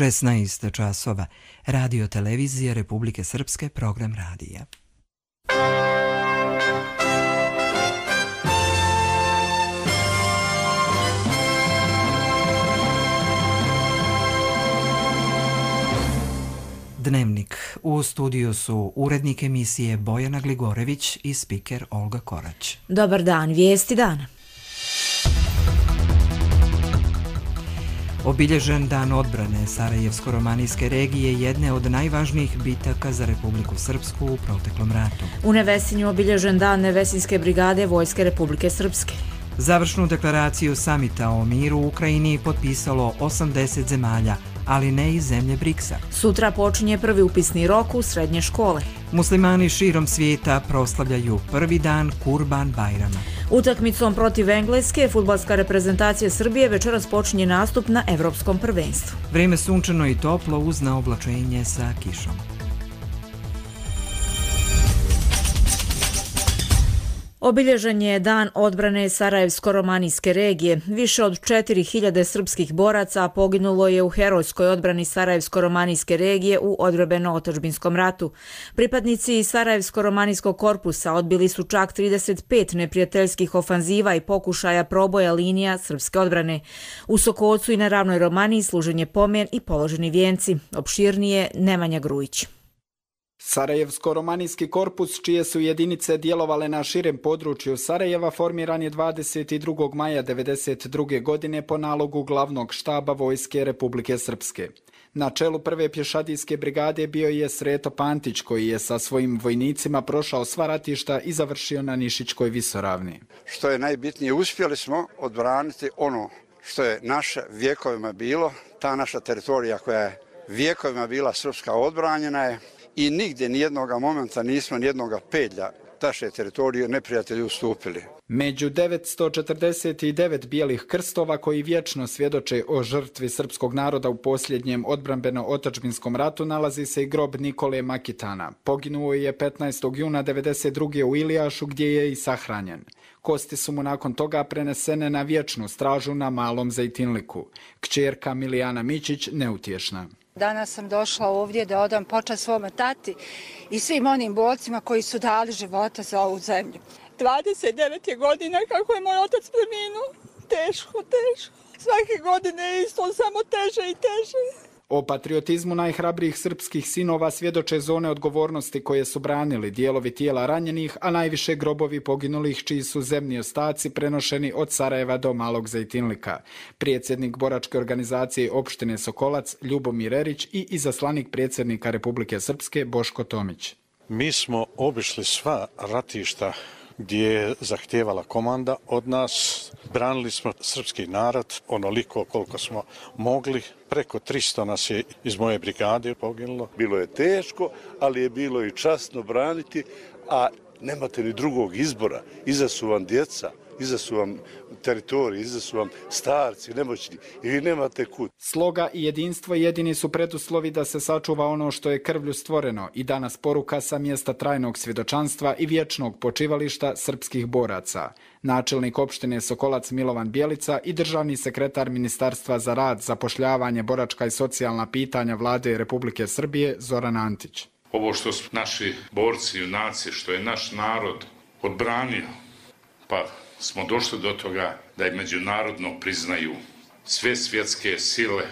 16 časova. Radio televizije Republike Srpske, program radija. Dnevnik. U studiju su urednik emisije Bojana Gligorević i spiker Olga Korać. Dobar dan, vijesti dana. Obilježen dan odbrane Sarajevsko-romanijske regije, jedne od najvažnijih bitaka za Republiku Srpsku u proteklom ratu. U Nevesinju obilježen dan Nevesinske brigade Vojske Republike Srpske. Završnu deklaraciju samita o miru u Ukrajini potpisalo 80 zemalja, ali ne i zemlje BRICS-a. Sutra počinje prvi upisni rok u srednje škole. Muslimani širom svijeta proslavljaju prvi dan Kurban Bajrama. Utakmicom protiv Engleske, fudbalska reprezentacija Srbije večeras počinje nastup na Evropskom prvenstvu. Vrijeme sunčano i toplo uz naoblačenje sa kišom. Obilježen je dan odbrane Sarajevsko-romanijske regije. Više od 4000 srpskih boraca poginulo je u herojskoj odbrani Sarajevsko-romanijske regije u odbrambeno-otadžbinskom ratu. Pripadnici Sarajevsko-romanijskog korpusa odbili su čak 35 neprijateljskih ofanziva i pokušaja proboja linija srpske odbrane. U Sokocu i na Ravnoj Romaniji služen je pomen i položeni vijenci. Opširnije Nemanja Grujić. Sarajevsko-romanijski korpus, čije su jedinice djelovale na širem području Sarajeva, formiran je 22. maja 1992. godine po nalogu glavnog štaba Vojske Republike Srpske. Na čelu prve pješadijske brigade bio je Sreto Pantić, koji je sa svojim vojnicima prošao sva ratišta i završio na Nišićkoj visoravni. Što je najbitnije, uspjeli smo odbraniti ono što je naše vjekovima bilo, ta naša teritorija koja je vjekovima bila srpska, odbranjena je. I nigdje nijednoga momenta nismo nijednoga pedlja naše teritorije neprijatelji ustupili. Među 949 bijelih krstova koji vječno svjedoče o žrtvi srpskog naroda u posljednjem odbrambeno-otadžbinskom ratu nalazi se i grob Nikole Makitana. Poginuo je 15. juna 1992. u Ilijašu, gdje je i sahranjen. Kosti su mu nakon toga prenesene na vječnu stražu na Malom Zejtinliku. Kćerka Milijana Mićić neutješna. Danas sam došla ovdje da odam počast svome tati i svim onim borcima koji su dali života za ovu zemlju. 29 je godina kako je moj otac preminuo. Teško. Svake godine je isto samo teže i teže. O patriotizmu najhrabrijih srpskih sinova svjedoče zone odgovornosti koje su branili, dijelovi tijela ranjenih, a najviše grobovi poginulih čiji su zemni ostaci prenošeni od Sarajeva do Malog Zejtinlika. Predsjednik boračke organizacije opštine Sokolac Ljubomir Erić i izaslanik predsjednika Republike Srpske Boško Tomić. Mi smo obišli sva ratišta gdje je zahtijevala komanda od nas. Branili smo srpski narod onoliko koliko smo mogli. Preko 300 nas je iz moje brigade poginulo. Bilo je teško, ali je bilo i časno braniti, a nemate ni drugog izbora. Iza su vam djeca, iza su vam teritoriji, iza su vam starci, nemoćni i vi nemate kud. Sloga i jedinstvo jedini su preduslovi da se sačuva ono što je krvlju stvoreno i danas poruka sa mjesta trajnog svjedočanstva i vječnog počivališta srpskih boraca. Načelnik opštine Sokolac Milovan Bjelica i državni sekretar Ministarstva za rad, zapošljavanje, boračka i socijalna pitanja Vlade Republike Srbije Zoran Antić. Ovo što su naši borci, junaci, što je naš narod odbranio, pa smo došli do toga da je međunarodno priznaju sve svjetske sile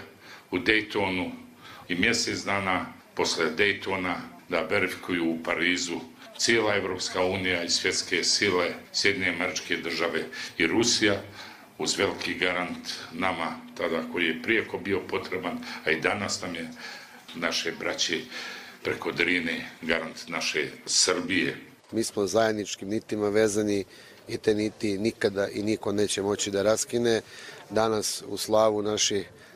u Daytonu i mjesec dana posle Daytona da verifikuju u Parizu cijela Evropska unija i svjetske sile, Sjedinjene Američke Države i Rusija, uz veliki garant nama tada koji je prijeko bio potreban, a i danas nam je naše braće preko Drine garant naše Srbije. Mi smo zajedničkim nitima vezani i te niti nikada i niko neće moći da raskine. Danas u slavu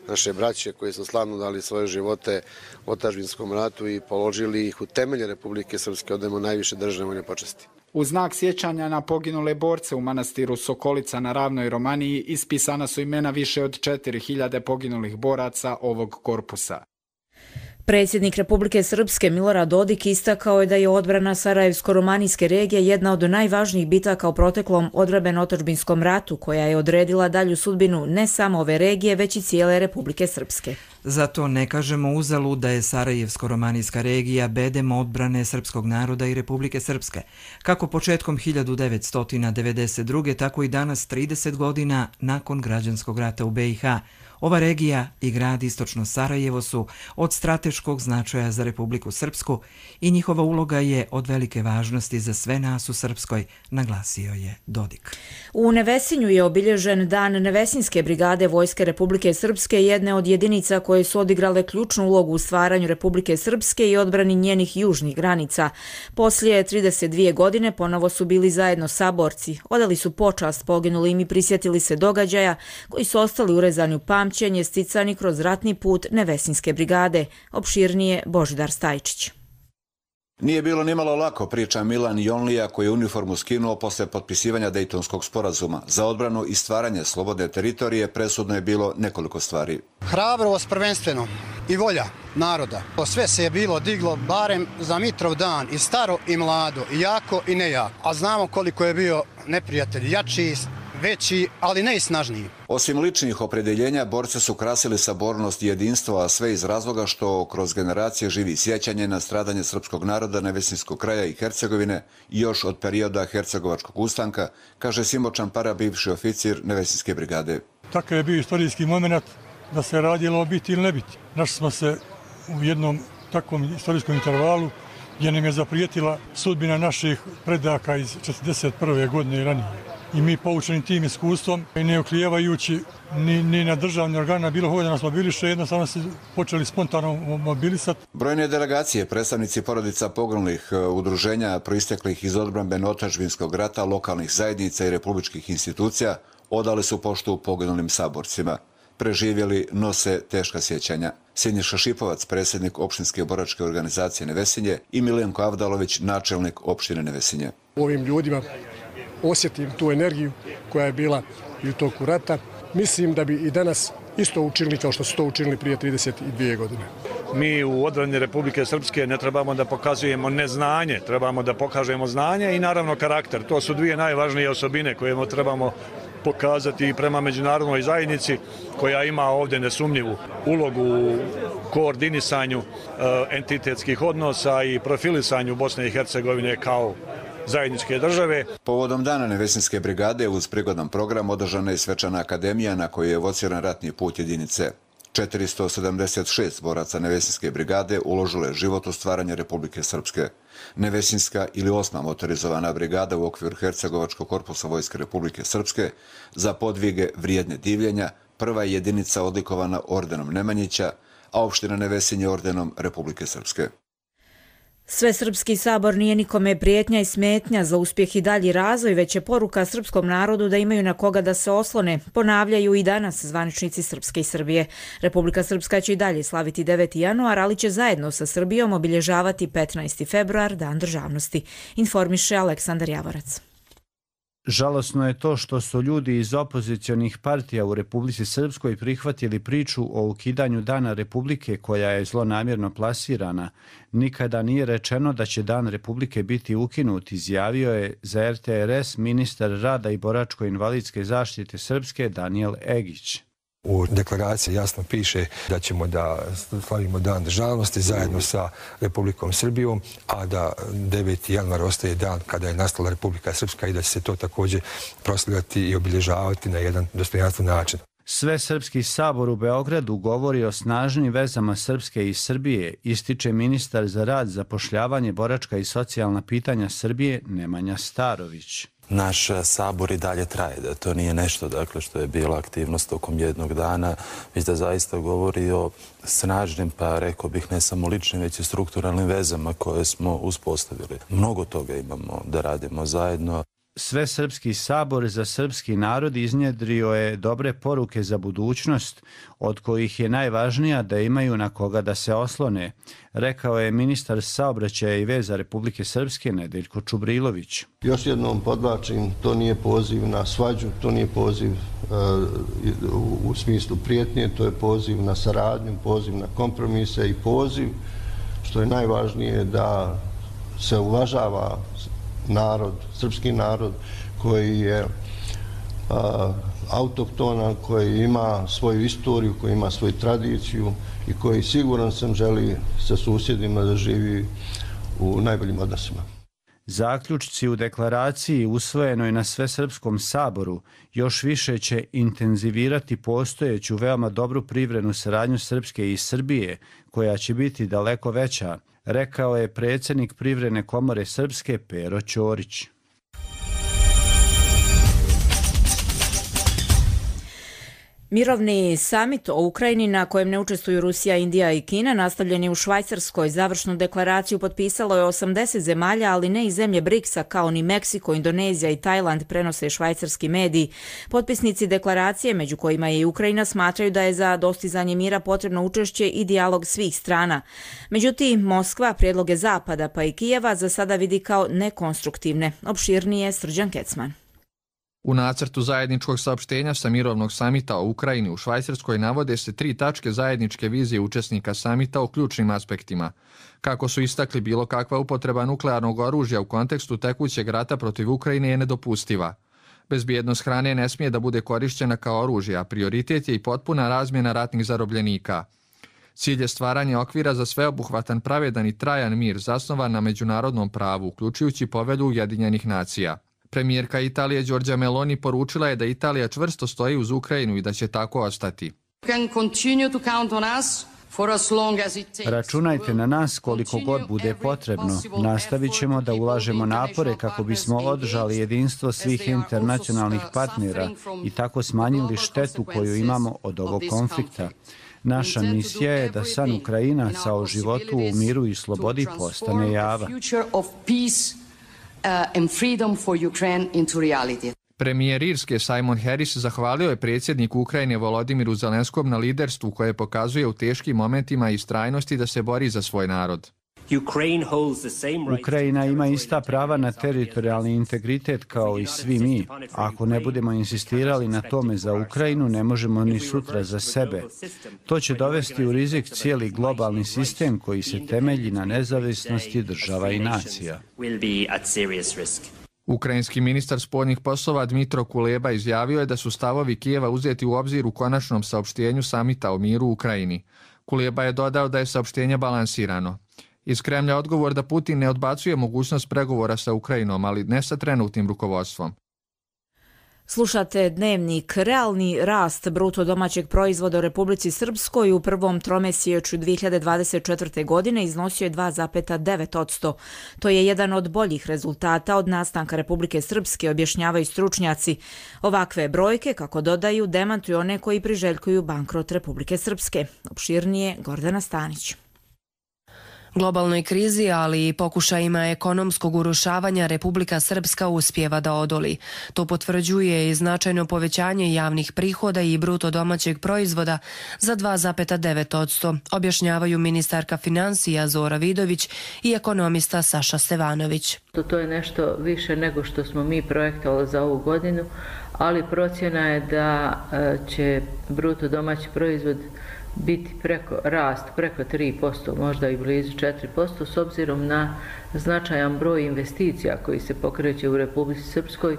naše braće koji su slavno dali svoje živote u otadžbinskom ratu i položili ih u temelje Republike Srpske, odajemo najviše državne vojne počasti. U znak sjećanja na poginule borce u manastiru Sokolica na Ravnoj Romaniji ispisana su imena više od 4000 poginulih boraca ovog korpusa. Predsjednik Republike Srpske Milorad Dodik istakao je da je odbrana Sarajevsko-romanijske regije jedna od najvažnijih bitaka u proteklom odbrambeno-otadžbinskom ratu, koja je odredila dalju sudbinu ne samo ove regije, već i cijele Republike Srpske. Zato ne kažemo uzalud da je Sarajevsko-romanijska regija bedem odbrane srpskog naroda i Republike Srpske. Kako početkom 1992. tako i danas 30 godina nakon građanskog rata u BiH. Ova regija i grad Istočno Sarajevo su od strateškog značaja za Republiku Srpsku i njihova uloga je od velike važnosti za sve nas u Srpskoj, naglasio je Dodik. U Nevesinju je obilježen Dan Nevesinske brigade Vojske Republike Srpske, jedne od jedinica koje su odigrale ključnu ulogu u stvaranju Republike Srpske i odbrani njenih južnih granica. Poslije 32 godine ponovo su bili zajedno saborci, odali su počast poginulim i prisjetili se događaja koji su ostali urezani u pamćenje sticani kroz ratni put Nevesinske brigade. Opširnije Božidar Stajčić. Nije bilo nimalo lako, priča Milan Jonlija, koji je uniformu skinuo posle potpisivanja Dejtonskog sporazuma. Za odbranu i stvaranje slobodne teritorije presudno je bilo nekoliko stvari. Hrabrost prvenstveno i volja naroda. Sve se je bilo diglo barem za Mitrov dan, i staro i mlado, i jako i nejako. A znamo koliko je bio neprijatelj jači, veći, ali ne i snažniji. Osim ličnih opredeljenja, borce su krasili sabornost i jedinstvo, a sve iz razloga što kroz generacije živi sjećanje na stradanje srpskog naroda Nevesinskog kraja i Hercegovine još od perioda Hercegovačkog ustanka, kaže Simo Čampara, bivši oficir Nevesinske brigade. Takav je bio istorijski moment da se radilo biti ili ne biti. Našli smo se u jednom takvom istorijskom intervalu gdje nam je zaprijetila sudbina naših predaka iz 1941. godine i ranije. I mi poučeni tim iskustvom, ne oklijevajući ni na državni organa bilo koga da nas mobiliše, jednostavno se počeli spontano mobilisati. Brojne delegacije, predstavnici porodica poginulih, udruženja proisteklih iz odbrambeno-otadžbinskog rata, lokalnih zajednica i republičkih institucija odali su poštu poginulim saborcima. Preživjeli nose teška sjećanja. Siniša Šipovac, predsjednik opštinske boračke organizacije Nevesinje, i Milenko Avdalović, načelnik opštine Nevesinje. Ovim ljudima osjetim tu energiju koja je bila i u toku rata. Mislim da bi i danas isto učinili kao što su to učinili prije 32 godine. Mi u odbrani Republike Srpske ne trebamo da pokazujemo neznanje, trebamo da pokažemo znanje i naravno karakter. To su dvije najvažnije osobine koje trebamo pokazati i prema međunarodnoj zajednici, koja ima ovdje nesumnjivu ulogu u koordinisanju entitetskih odnosa i profilisanju Bosne i Hercegovine kao zajedničke države. Povodom Dana Nevesinske brigade uz prigodan program održana je svečana akademija na kojoj je evociran ratni put jedinice. 476 boraca Nevesinske brigade uložilo je život u stvaranje Republike Srpske. Nevesinska ili 8. motorizovana brigada u okviru Hercegovačkog korpusa Vojske Republike Srpske za podvige vrijedne divljenja prva je jedinica odlikovana ordenom Nemanjića, a opština Nevesinje ordenom Republike Srpske. Svesrpski sabor nije nikome prijetnja i smetnja za uspjeh i dalji razvoj, već je poruka srpskom narodu da imaju na koga da se oslone, ponavljaju i danas zvaničnici Srpske i Srbije. Republika Srpska će i dalje slaviti 9. januar, ali će zajedno sa Srbijom obilježavati 15. februar, Dan državnosti, informiše Aleksandar Javorac. Žalosno je to što su ljudi iz opozicionih partija u Republici Srpskoj prihvatili priču o ukidanju Dana Republike koja je zlonamjerno plasirana. Nikada nije rečeno da će Dan Republike biti ukinut, izjavio je za RTRS ministar rada i boračko-invalidske zaštite Srpske Danijel Egić. U deklaraciji jasno piše da ćemo da slavimo Dan državnosti zajedno sa Republikom Srbijom, a da 9. januar ostaje dan kada je nastala Republika Srpska i da će se to također proslavljati i obilježavati na jedan dostojanstven način. Svesrpski sabor u Beogradu govori o snažnim vezama Srpske i Srbije, ističe ministar za rad, zapošljavanje, boračka i socijalna pitanja Srbije Nemanja Starović. Naš sabor i dalje traje, da to nije nešto što je bila aktivnost tokom jednog dana, već da zaista govori o snažnim, pa rekao bih ne samo ličnim, već i strukturalnim vezama koje smo uspostavili. Mnogo toga imamo da radimo zajedno. Svesrpski sabor za srpski narod iznjedrio je dobre poruke za budućnost, od kojih je najvažnija da imaju na koga da se oslone, rekao je ministar saobraćaja i veza Republike Srpske Nedeljko Čubrilović. Još jednom podvlačim, to nije poziv na svađu, to nije poziv u smislu prijetnje, to je poziv na saradnju, poziv na kompromise i poziv, što je najvažnije, da se uvažava narod, srpski narod koji je autohtonan, koji ima svoju istoriju, koji ima svoju tradiciju i koji, siguran sam, želi sa susjedima da živi u najboljim odnosima. Zaključci u deklaraciji usvojenoj na Svesrpskom saboru još više će intenzivirati postojeću veoma dobru privrednu saradnju Srpske i Srbije, koja će biti daleko veća, rekao je predsjednik Privredne komore Srpske Pero Ćorić. Mirovni samit o Ukrajini na kojem ne učestvuju Rusija, Indija i Kina nastavljen je u Švajcarskoj. Završnu deklaraciju potpisalo je 80 zemalja, ali ne i zemlje BRICS-a kao ni Meksiko, Indonezija i Tajland, prenose švajcarski mediji. Potpisnici deklaracije, među kojima je i Ukrajina, smatraju da je za dostizanje mira potrebno učešće i dijalog svih strana. Međutim, Moskva prijedloge Zapada pa i Kijeva za sada vidi kao nekonstruktivne. Opširnije Srđan Kecman. U nacrtu zajedničkog saopštenja sa mirovnog samita o Ukrajini u Švajcarskoj navode se 3 tačke zajedničke vizije učesnika samita o ključnim aspektima. Kako su istakli, bilo kakva upotreba nuklearnog oružja u kontekstu tekućeg rata protiv Ukrajine je nedopustiva. Bezbjednost hrane ne smije da bude korišćena kao oružje, a prioritet je i potpuna razmjena ratnih zarobljenika. Cilj je stvaranje okvira za sveobuhvatan, pravedan i trajan mir zasnovan na međunarodnom pravu, uključujući Povelju Ujedinjenih nacija. Premijerka Italije Giorgia Meloni poručila je da Italija čvrsto stoji uz Ukrajinu i da će tako ostati. Računajte na nas koliko god bude potrebno. Nastavit ćemo da ulažemo napore kako bismo održali jedinstvo svih internacionalnih partnera i tako smanjili štetu koju imamo od ovog konflikta. Naša misija je da san Ukrajinaca o životu u miru i slobodi postane java. And freedom for Ukraine into reality. Premijer Irske Simon Harris zahvalio je predsjedniku Ukrajine Volodimiru Zelenskom na liderstvu koje pokazuje u teškim momentima i istrajnosti da se bori za svoj narod. Ukrajina ima ista prava na teritorijalni integritet kao i svi mi. Ako ne budemo insistirali na tome za Ukrajinu, ne možemo ni sutra za sebe. To će dovesti u rizik cijeli globalni sistem koji se temelji na nezavisnosti država i nacija. Ukrajinski ministar spoljnih poslova Dmitro Kuleba izjavio je da su stavovi Kijeva uzeti u obzir u konačnom saopštenju samita o miru u Ukrajini. Kuleba je dodao da je saopštenje balansirano. Iz Kremlja odgovor da Putin ne odbacuje mogućnost pregovora sa Ukrajinom, ali ne sa trenutnim rukovodstvom. Slušate Dnevnik. Realni rast bruto domaćeg proizvoda u Republici Srpskoj u prvom tromesečju 2024. godine iznosio je 2,9%. To je jedan od boljih rezultata od nastanka Republike Srpske, objašnjavaju stručnjaci. Ovakve brojke, kako dodaju, demantuju one koji priželjkuju bankrot Republike Srpske. Opširnije Gordana Stanić. Globalnoj krizi, ali i pokušajima ekonomskog urušavanja Republika Srpska uspijeva da odoli. To potvrđuje i značajno povećanje javnih prihoda i bruto domaćeg proizvoda za 2,9%, objašnjavaju ministarka financija Zora Vidović i ekonomista Saša Stevanović. To je nešto više nego što smo mi projektovali za ovu godinu, ali procjena je da će bruto domaći proizvod biti rast preko 3%, možda i blizu 4%, s obzirom na značajan broj investicija koji se pokreće u Republici Srpskoj.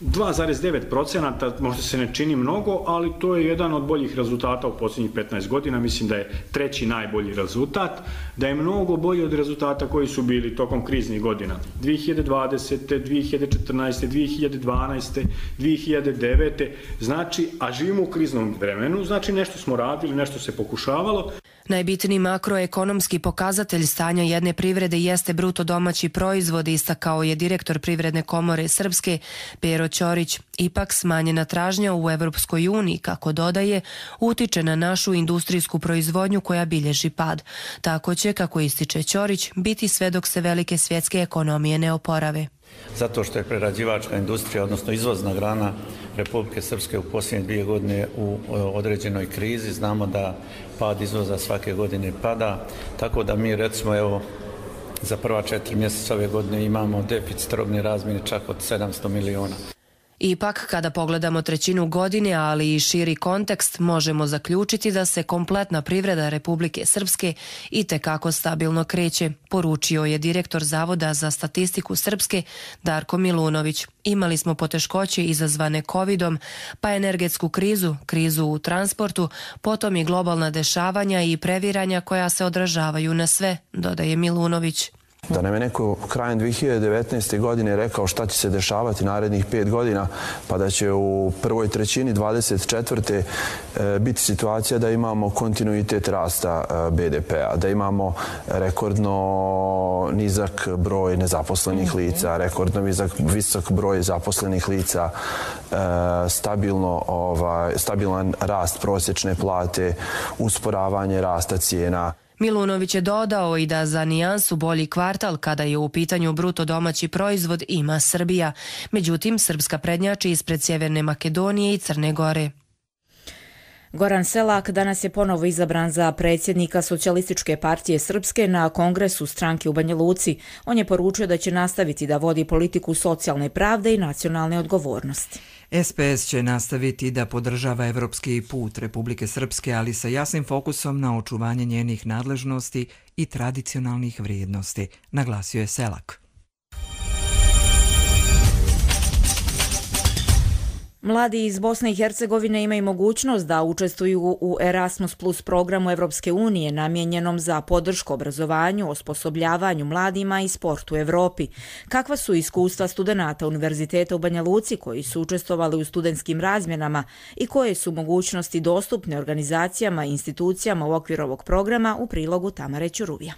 2,9%, možda se ne čini mnogo, ali to je jedan od boljih rezultata u posljednjih 15 godina. Mislim da je treći najbolji rezultat, da je mnogo bolji od rezultata koji su bili tokom kriznih godina. 2020. 2014. 2012. 2009. Znači, a živimo u kriznom vremenu, znači nešto smo radili, nešto se pokušavalo. Najbitniji makroekonomski pokazatelj stanja jedne privrede jeste bruto domaći proizvod, istakao je direktor Privredne komore Srpske Pero Ćorić. Ipak smanjena tražnja u Evropskoj uniji, kako dodaje, utiče na našu industrijsku proizvodnju koja bilježi pad. Tako će, kako ističe Ćorić, biti sve dok se velike svjetske ekonomije ne oporave. Zato što je prerađivačka industrija, odnosno izvozna grana Republike Srpske u posljednje 2 godine u određenoj krizi. Znamo da pad izvoza svake godine pada, tako da mi recimo evo za prva 4 mjeseca ove godine imamo deficit robne razmjene čak od 700 miliona. Ipak, kada pogledamo trećinu godine, ali i širi kontekst, možemo zaključiti da se kompletna privreda Republike Srpske itekako stabilno kreće, poručio je direktor Zavoda za statistiku Srpske Darko Milunović. Imali smo poteškoće izazvane covidom, pa energetsku krizu, krizu u transportu, potom i globalna dešavanja i previranja koja se odražavaju na sve, dodaje Milunović. Da nam je neko krajem 2019. godine rekao šta će se dešavati narednih 5 godina, pa da će u prvoj trećini 24. biti situacija da imamo kontinuitet rasta BDP-a, da imamo rekordno nizak broj nezaposlenih lica, rekordno visok broj zaposlenih lica, stabilan rast prosječne plate, usporavanje rasta cijena. Milunović je dodao i da za nijansu bolji kvartal kada je u pitanju bruto domaći proizvod ima Srbija. Međutim, Srpska prednjači ispred Sjeverne Makedonije i Crne Gore. Goran Selak danas je ponovo izabran za predsjednika Socijalističke partije Srpske na kongresu stranke u Banja Luci. On je poručio da će nastaviti da vodi politiku socijalne pravde i nacionalne odgovornosti. SPS će nastaviti da podržava evropski put Republike Srpske, ali sa jasnim fokusom na očuvanje njenih nadležnosti i tradicionalnih vrijednosti, naglasio je Selak. Mladi iz Bosne i Hercegovine imaju mogućnost da učestvuju u Erasmus Plus programu Evropske unije namijenjenom za podršku obrazovanju, osposobljavanju mladima i sportu u Evropi. Kakva su iskustva studenata Univerziteta u Banja Luci koji su učestvovali u studentskim razmjenama i koje su mogućnosti dostupne organizacijama i institucijama u okviru ovog programa, u prilogu Tamare Ćuruvija.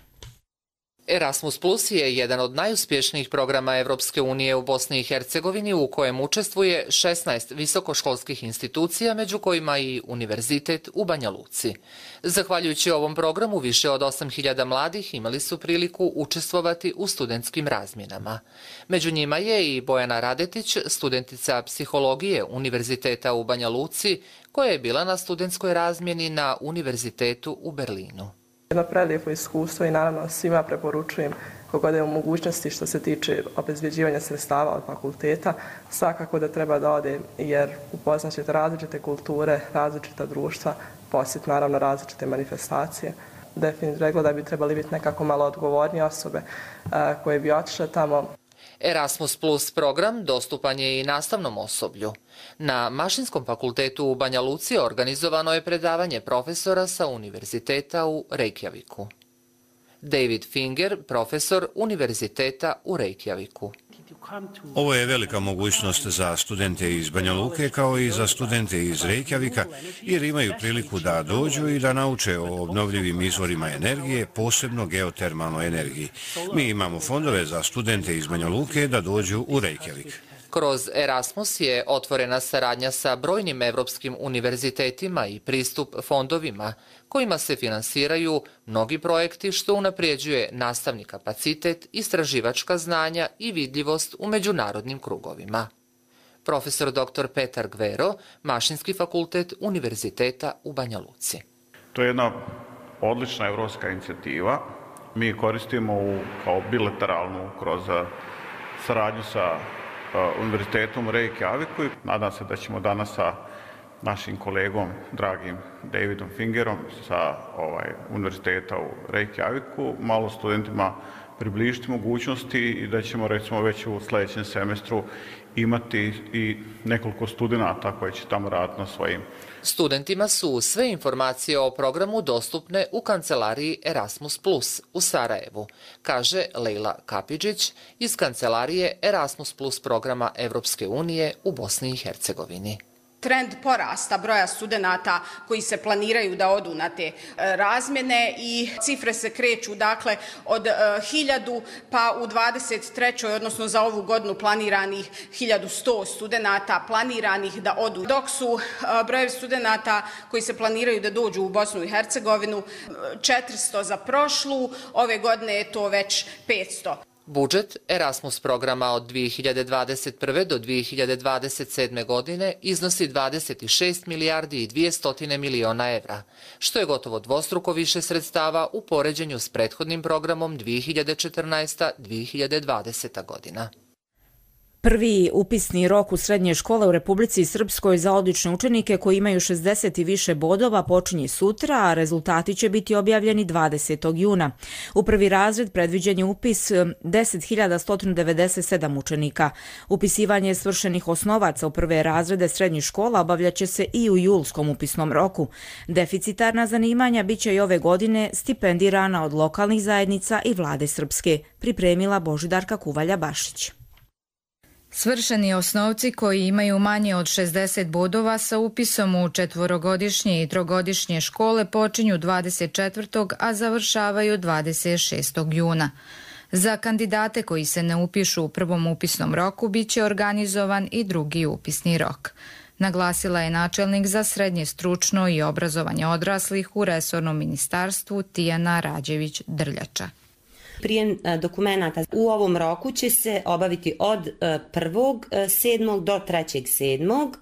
Erasmus Plus je jedan od najuspješnijih programa Evropske unije u Bosni i Hercegovini u kojem učestvuje 16 visokoškolskih institucija, među kojima i Univerzitet u Banja Luci. Zahvaljujući ovom programu, više od 8.000 mladih imali su priliku učestvovati u studentskim razmjenama. Među njima je i Bojana Radetić, studentica psihologije Univerziteta u Banja Luci, koja je bila na studentskoj razmjeni na Univerzitetu u Berlinu. Jedno prelijepo iskustvo i naravno svima preporučujem kogod je u mogućnosti što se tiče obezbjeđivanja sredstava od fakulteta, svakako da treba da ode jer upoznat ćete različite kulture, različita društva, posjet naravno različite manifestacije. Definitivno rekla da bi trebali biti nekako malo odgovornije osobe koje bi otišle tamo. Erasmus Plus program dostupan je i nastavnom osoblju. Na Mašinskom fakultetu u Banja Luci organizovano je predavanje profesora sa Univerziteta u Reykjaviku. David Finger, profesor Univerziteta u Reykjaviku. Ovo je velika mogućnost za studente iz Banja Luke kao i za studente iz Reykjavika jer imaju priliku da dođu i da nauče o obnovljivim izvorima energije, posebno geotermalnoj energiji. Mi imamo fondove za studente iz Banja Luke da dođu u Reykjavik. Kroz Erasmus je otvorena saradnja sa brojnim evropskim univerzitetima i pristup fondovima, kojima se finansiraju mnogi projekti što unapređuje nastavni kapacitet, istraživačka znanja i vidljivost u međunarodnim krugovima. Profesor dr. Petar Gvero, Mašinski fakultet Univerziteta u Banja Luci. To je jedna odlična evropska inicijativa. Mi koristimo kao bilateralnu kroz saradnju sa Univerzitetom u Reykjaviku. Nadam se da ćemo danas sa našim kolegom, dragim Davidom Fingerom sa Univerziteta u Reykjaviku malo studentima približiti mogućnosti i da ćemo recimo već u sljedećem semestru imati i nekoliko studenata koji će tamo raditi na svojim. Studentima su sve informacije o programu dostupne u kancelariji Erasmus Plus u Sarajevu, kaže Lejla Kapidžić iz kancelarije Erasmus Plus programa Evropske unije u Bosni i Hercegovini. Trend porasta broja studenata koji se planiraju da odu na te razmjene i cifre se kreću dakle od 1000 pa u 23. odnosno za ovu godinu planiranih 1100 studenata planiranih da odu, dok su brojevi studenata koji se planiraju da dođu u Bosnu i Hercegovinu 400 za prošlu, ove godine je to već 500. Budžet Erasmus programa od 2021. do 2027. godine iznosi 26 milijardi i 200 miliona evra, što je gotovo dvostruko više sredstava u poređenju s prethodnim programom 2014-2020. godina. Prvi upisni rok u srednje škole u Republici Srpskoj za odlične učenike koji imaju 60 i više bodova počinje sutra, a rezultati će biti objavljeni 20. juna. U prvi razred predviđen je upis 10.197 učenika. Upisivanje svršenih osnovaca u prve razrede srednjih škola obavljaće se i u julskom upisnom roku. Deficitarna zanimanja biće i ove godine stipendirana od lokalnih zajednica i vlade Srpske, pripremila Božidarka Kuvalja-Bašić. Svršeni osnovci koji imaju manje od 60 bodova sa upisom u četvorogodišnje i trogodišnje škole počinju 24. a završavaju 26. juna. Za kandidate koji se ne upišu u prvom upisnom roku biće organizovan i drugi upisni rok. Naglasila je načelnik za srednje stručno i obrazovanje odraslih u resornom ministarstvu Tijana Rađević-Drljača. Prijem dokumenata u ovom roku će se obaviti od 1.7. do 3.7.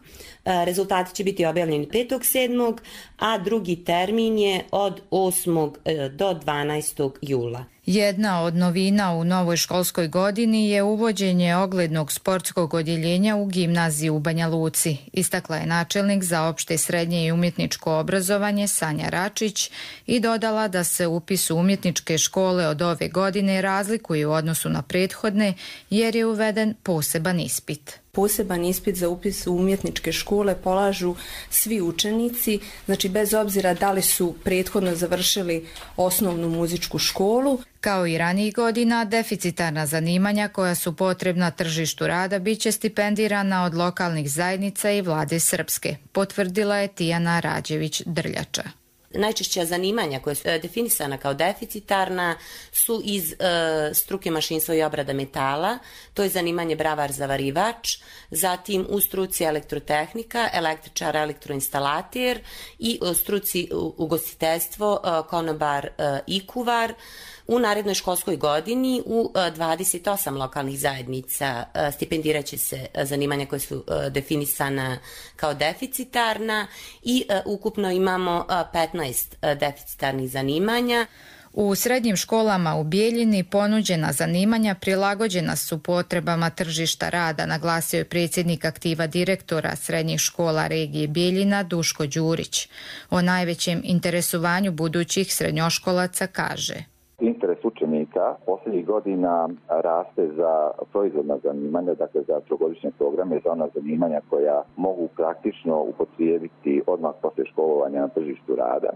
Rezultati će biti objavljeni 5.7. a drugi termin je od 8. do 12. jula. Jedna od novina u novoj školskoj godini je uvođenje oglednog sportskog odjeljenja u gimnaziju u Banja Luci, istakla je načelnik za opšte, srednje i umjetničko obrazovanje Sanja Račić i dodala da se upis u umjetničke škole od ove godine razlikuje u odnosu na prethodne jer je uveden poseban ispit. Poseban ispit za upis u umjetničke škole polažu svi učenici, znači bez obzira da li su prethodno završili osnovnu muzičku školu. Kao i ranijih godina, deficitarna zanimanja koja su potrebna tržištu rada biće stipendirana od lokalnih zajednica i vlade Srpske, potvrdila je Tijana Rađević-Drljača. Najčešća zanimanja koja su definisana kao deficitarna su iz struke mašinstvo i obrada metala, to je zanimanje bravar-zavarivač, zatim u struci elektrotehnika, električar, elektroinstalater i u struci ugostiteljstvo, konobar i kuvar. U narednoj školskoj godini u 28 lokalnih zajednica stipendirat će se zanimanja koje su definisana kao deficitarna i ukupno imamo 15 deficitarnih zanimanja. U srednjim školama u Bijeljini ponuđena zanimanja prilagođena su potrebama tržišta rada, naglasio je predsjednik aktiva direktora srednjih škola regije Bijeljina Duško Đurić. O najvećem interesovanju budućih srednjoškolaca kaže: Interes učenika posljednjih godina raste za proizvodna zanimanja, dakle za trogodišnje programe, za ona zanimanja koja mogu praktično upotrijebiti odmah poslije školovanja na tržištu rada.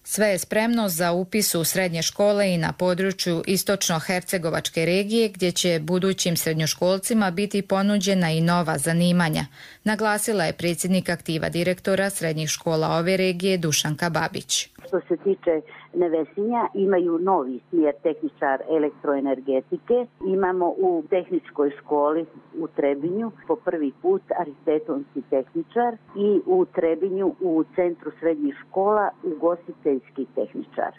Sve je spremno za upis u srednje škole i na području istočno-hercegovačke regije gdje će budućim srednjoškolcima biti ponuđena i nova zanimanja, naglasila je predsjednik aktiva direktora srednjih škola ove regije Dušanka Babić. Što se tiče Nevesinja, imaju novi smjer tehničar elektroenergetike. Imamo u tehničkoj školi u Trebinju po prvi put arhitektonski tehničar i u Trebinju u centru srednjih škola ugostiteljski tehničar.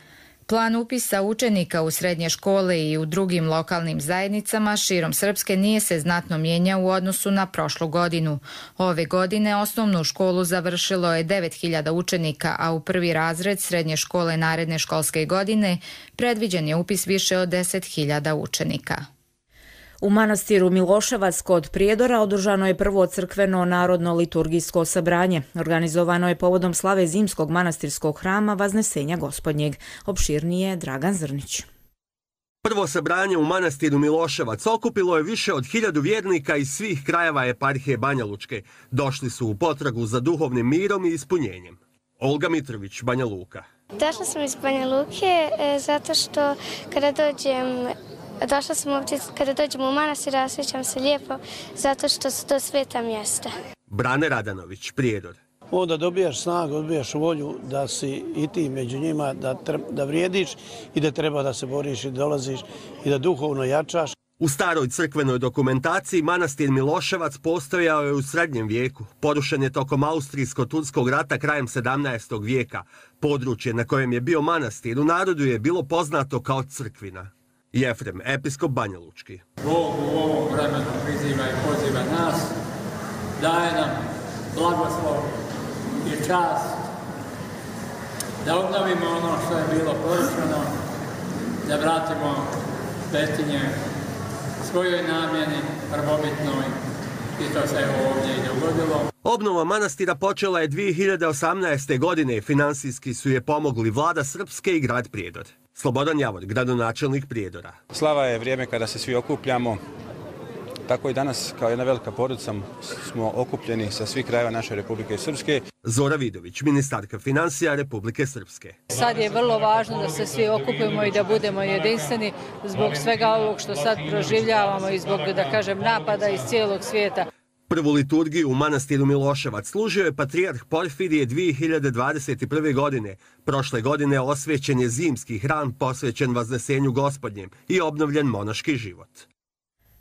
Plan upisa učenika u srednje škole i u drugim lokalnim zajednicama širom Srpske nije se znatno mijenjao u odnosu na prošlu godinu. Ove godine osnovnu školu završilo je 9.000 učenika, a u prvi razred srednje škole naredne školske godine predviđen je upis više od 10.000 učenika. U manastiru Miloševac kod Prijedora održano je prvo crkveno narodno liturgijsko sabranje. Organizovano je povodom slave zimskog manastirskog hrama Vaznesenja Gospodnjeg. Opširnije Dragan Zrnić. Prvo sabranje u manastiru Miloševac okupilo je više od 1000 vjernika iz svih krajeva eparhije Banja Lučke. Došli su u potragu za duhovnim mirom i ispunjenjem. Olga Mitrović, Banja Luka. Došla sam iz Banja Luke zato što došla sam ovdje kada dođem u manastir, osjećam se lijepo zato što su to sveta mjesta. Brane Radanović, Prijedor. Onda dobijaš snagu, dobijaš volju da si i ti među njima, da vrijediš i da treba da se boriš i dolaziš i da duhovno jačaš. U staroj crkvenoj dokumentaciji manastir Miloševac postojao je u srednjem vijeku. Porušen je tokom Austrijsko-turskog rata krajem 17. vijeka. Područje na kojem je bio manastir u narodu je bilo poznato kao Crkvina. Jefrem, episkop Banja Lučki. Bog u ovom vremenu priziva i poziva nas, daje nam blagoslov i čast da obnovimo ono što je bilo porušeno, da vratimo svetinje svojoj namjeni prvobitnoj i to se ovdje i dogodilo. Obnova manastira počela je 2018. godine. Finansijski su je pomogli vlada Srpske i grad Prijedor. Slobodan Javor, gradonačelnik Prijedora. Slava je vrijeme kada se svi okupljamo. Tako i danas, kao jedna velika porodica, smo okupljeni sa svih krajeva naše Republike Srpske. Zora Vidović, ministarka financija Republike Srpske. Sad je vrlo važno da se svi okupimo i da budemo jedinstveni zbog svega ovog što sad proživljavamo i zbog, da kažem, napada iz cijelog svijeta. Prvu liturgiju u manastiru Miloševac služio je patrijarh Porfirije 2021. godine. Prošle godine osvećen je zimski hram posvećen Vaznesenju Gospodnjem i obnovljen monaški život.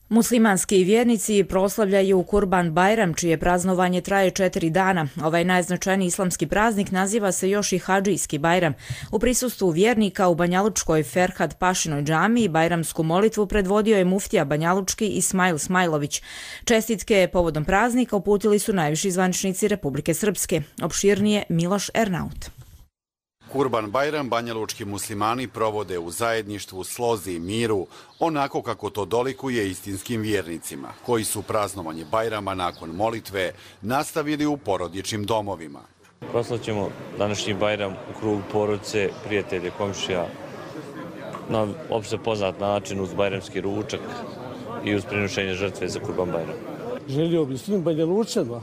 Muslimanski vjernici proslavljaju Kurban Bajram, čije praznovanje traje 4 dana. Ovaj najznačajniji islamski praznik naziva se još i Hadžijski Bajram. U prisustvu vjernika u Banjalučkoj Ferhat Pašinoj džamiji bajramsku molitvu predvodio je muftija Banjalučki Ismail Smajlović. Čestitke povodom praznika uputili su najviši zvaničnici Republike Srpske. Opširnije Miloš Ernaut. Kurban Bajram banjalučki muslimani provode u zajedništvu, slozi i miru, onako kako to dolikuje istinskim vjernicima, koji su praznovanje Bajrama nakon molitve nastavili u porodičnim domovima. Proslaćemo današnji Bajram u krugu porodice, prijatelje, komšija, na opšte poznat način uz bajramski ručak i uz prinošenje žrtve za Kurban Bajram. Želio bi svim Banjalučanima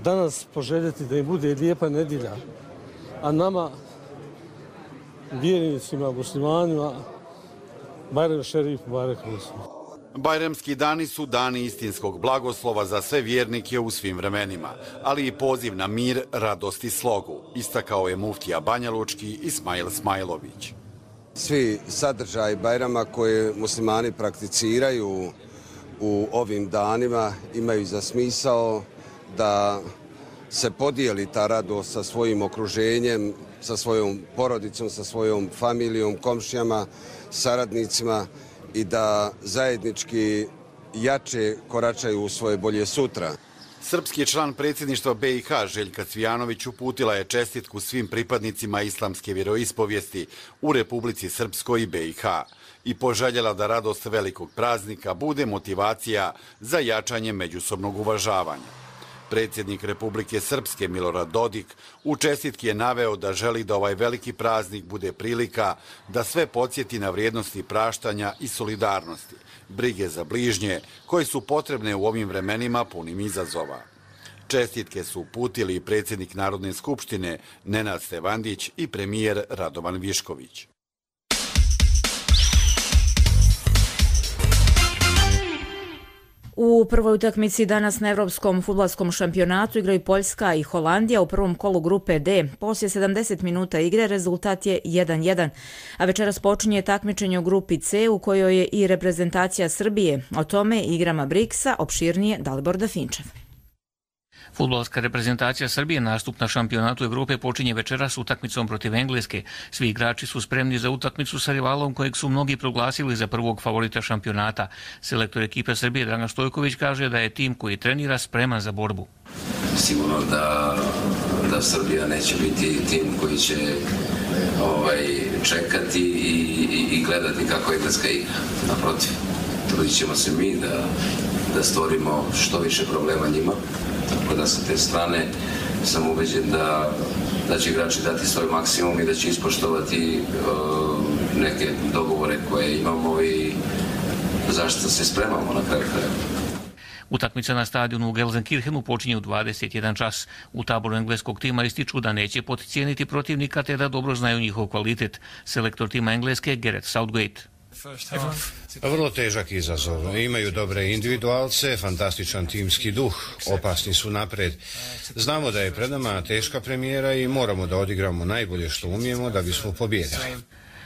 danas poželjeti da im bude lijepa nedjelja, a nama vjernicima, muslimanima, Bajram šerif, Barek Muslim. Bajramski dani su dani istinskog blagoslova za sve vjernike u svim vremenima, ali i poziv na mir, radost i slogu, istakao je muftija Banjalučki Ismail Smajlović. Svi sadržaji Bajrama koje muslimani prakticiraju u ovim danima imaju za smisao da se podijeli ta radost sa svojim okruženjem, sa svojom porodicom, sa svojom familijom, komšijama, saradnicima i da zajednički jače koračaju u svoje bolje sutra. Srpski član predsjedništva BiH Željka Cvijanović uputila je čestitku svim pripadnicima islamske vjeroispovijesti u Republici Srpskoj i BiH i poželjela da radost velikog praznika bude motivacija za jačanje međusobnog uvažavanja. Predsjednik Republike Srpske Milorad Dodik u čestitki je naveo da želi da ovaj veliki praznik bude prilika da sve podsjeti na vrijednosti praštanja i solidarnosti, brige za bližnje, koje su potrebne u ovim vremenima punim izazova. Čestitke su uputili i predsjednik Narodne skupštine Nenad Stevandić i premijer Radovan Višković. U prvoj utakmici danas na Evropskom fudbalskom šampionatu igraju Poljska i Holandija u prvom kolu grupe D. Poslije 70 minuta igre rezultat je 1:1, a večeras počinje takmičenje u grupi C u kojoj je i reprezentacija Srbije. O tome igrama Briksa opširnije Dalibor Dafinčev. Fudbalska reprezentacija Srbije nastup na šampionatu Evrope počinje večeras utakmicom protiv Engleske. Svi igrači su spremni za utakmicu sa rivalom kojeg su mnogi proglasili za prvog favorita šampionata. Selektor ekipe Srbije Dragan Stojković kaže da je tim koji trenira spreman za borbu. Sigurno da Srbija neće biti tim koji će čekati i gledati kako Engleska igra. Naprotiv, trudit ćemo se mi da stvorimo što više problema njima. Tako da sa te strane sam ubeđen da će igrači dati svoj maksimum i da će ispoštovati neke dogovore koje imamo i zašto se spremamo na kraju krajeva. Utakmica na stadionu u Gelsenkirchenu počinje u 21 čas. U taboru engleskog tima ističu da neće podcijeniti protivnika te da dobro znaju njihov kvalitet. Selektor tima Engleske Gareth Southgate. Vrlo težak izazov. Imaju dobre individualce, fantastičan timski duh, opasni su napred. Znamo da je pred nama teška premijera i moramo da odigramo najbolje što umijemo da bismo pobjedili.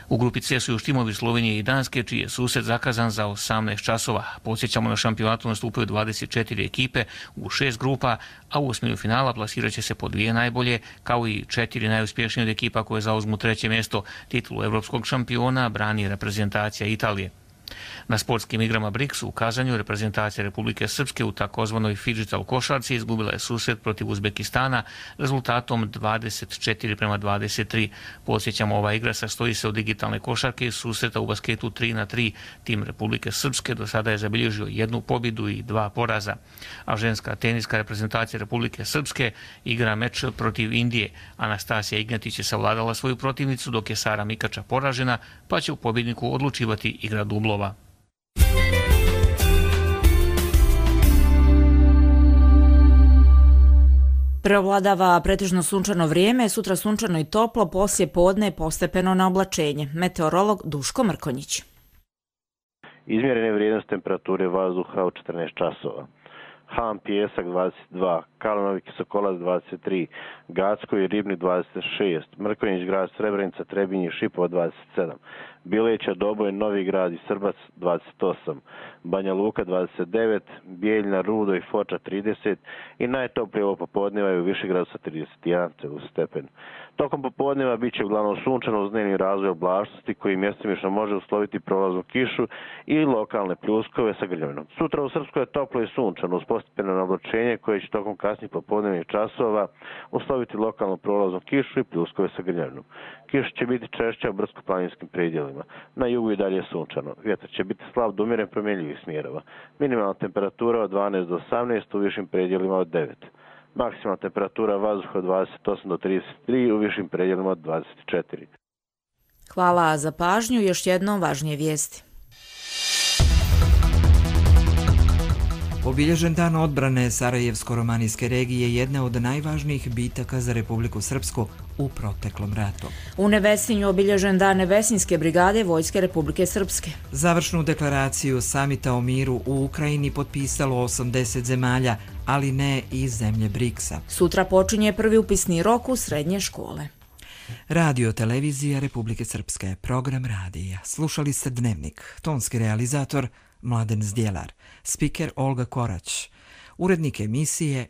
U grupi C su još timovi Slovenije i Danske, čiji je susret zakazan za 18 časova. Podsjećamo, na šampionatu nastupaju 24 ekipe u 6 grupa, a u osminu finala plasirat će se po 2 najbolje, kao i 4 najuspješnije od ekipa koje zauzmu 3. mjesto. Titulu evropskog šampiona brani reprezentacija Italije. Na sportskim igrama BRICS u Kazanju reprezentacija Republike Srpske u takozvanoj fidžital košarci izgubila je susret protiv Uzbekistana rezultatom 24-23. Podsjećamo, ova igra sastoji se od digitalne košarke i susreta u basketu 3-3. Tim Republike Srpske do sada je zabilježio 1 pobjedu i 2 poraza. A ženska teniska reprezentacija Republike Srpske igra meč protiv Indije. Anastasija Ignatić je savladala svoju protivnicu, dok je Sara Mikača poražena, pa će u pobjedniku odlučivati igra dublova. Preovladava pretežno sunčano vrijeme, sutra sunčano i toplo, poslije podne postepeno na oblačenje. Meteorolog Duško Mrkonjić. Izmjerene vrijednosti temperature vazduha u 14 časova. Han Pijesak 22, Kalanović Sokolac 23, Gacko i Ribnik 26, Mrkonjić grad Srebrenica, Trebinje i Šipova 27, Bileća, Doboj, Novi grad i Srbac 28, Banja Luka 29, Bijeljina, Rudo i Foča 30 i najtoplije ovo popodneva je u Višegradu sa 31 stepen. Tokom popodneva bit će uglavnom sunčano uz dnevni razvoj oblačnosti koji mjestimično može usloviti prolaznu kišu i lokalne pljuskove sa grljavinom. Sutra u Srpskoj je toplo i sunčano uz postepeno oblačenje koje će tokom kasnijih popodnevnih časova usloviti lokalnu prolaznu kišu i pljuskove sa grljavinom. Kiša će biti češća u brdsko-planinskim predjelima. Na jugu i dalje sunčano. Vjetar će biti slab do umjeren promjenjivih smjerova. Minimalna temperatura od 12 do 18, u višim predjelima od 9. Maksimalna temperatura vazduha od 28 do 33, u višim predjelima od 24. Hvala za pažnju. Još jednom važnije vijesti. Obilježen dan odbrane Sarajevsko-romanijske regije jedna od najvažnijih bitaka za Republiku Srpsku u proteklom ratu. U Nevesinju obilježen dan Nevesinske brigade Vojske Republike Srpske. Završnu deklaraciju samita o miru u Ukrajini potpisalo 80 zemalja, ali ne i zemlje BRICS-a. Sutra počinje prvi upisni rok u srednje škole. Radio Televizija Republike Srpske, program radija. Slušali ste Dnevnik, tonski realizator Mladen Zdjelar, spiker Olga Korać, urednik emisije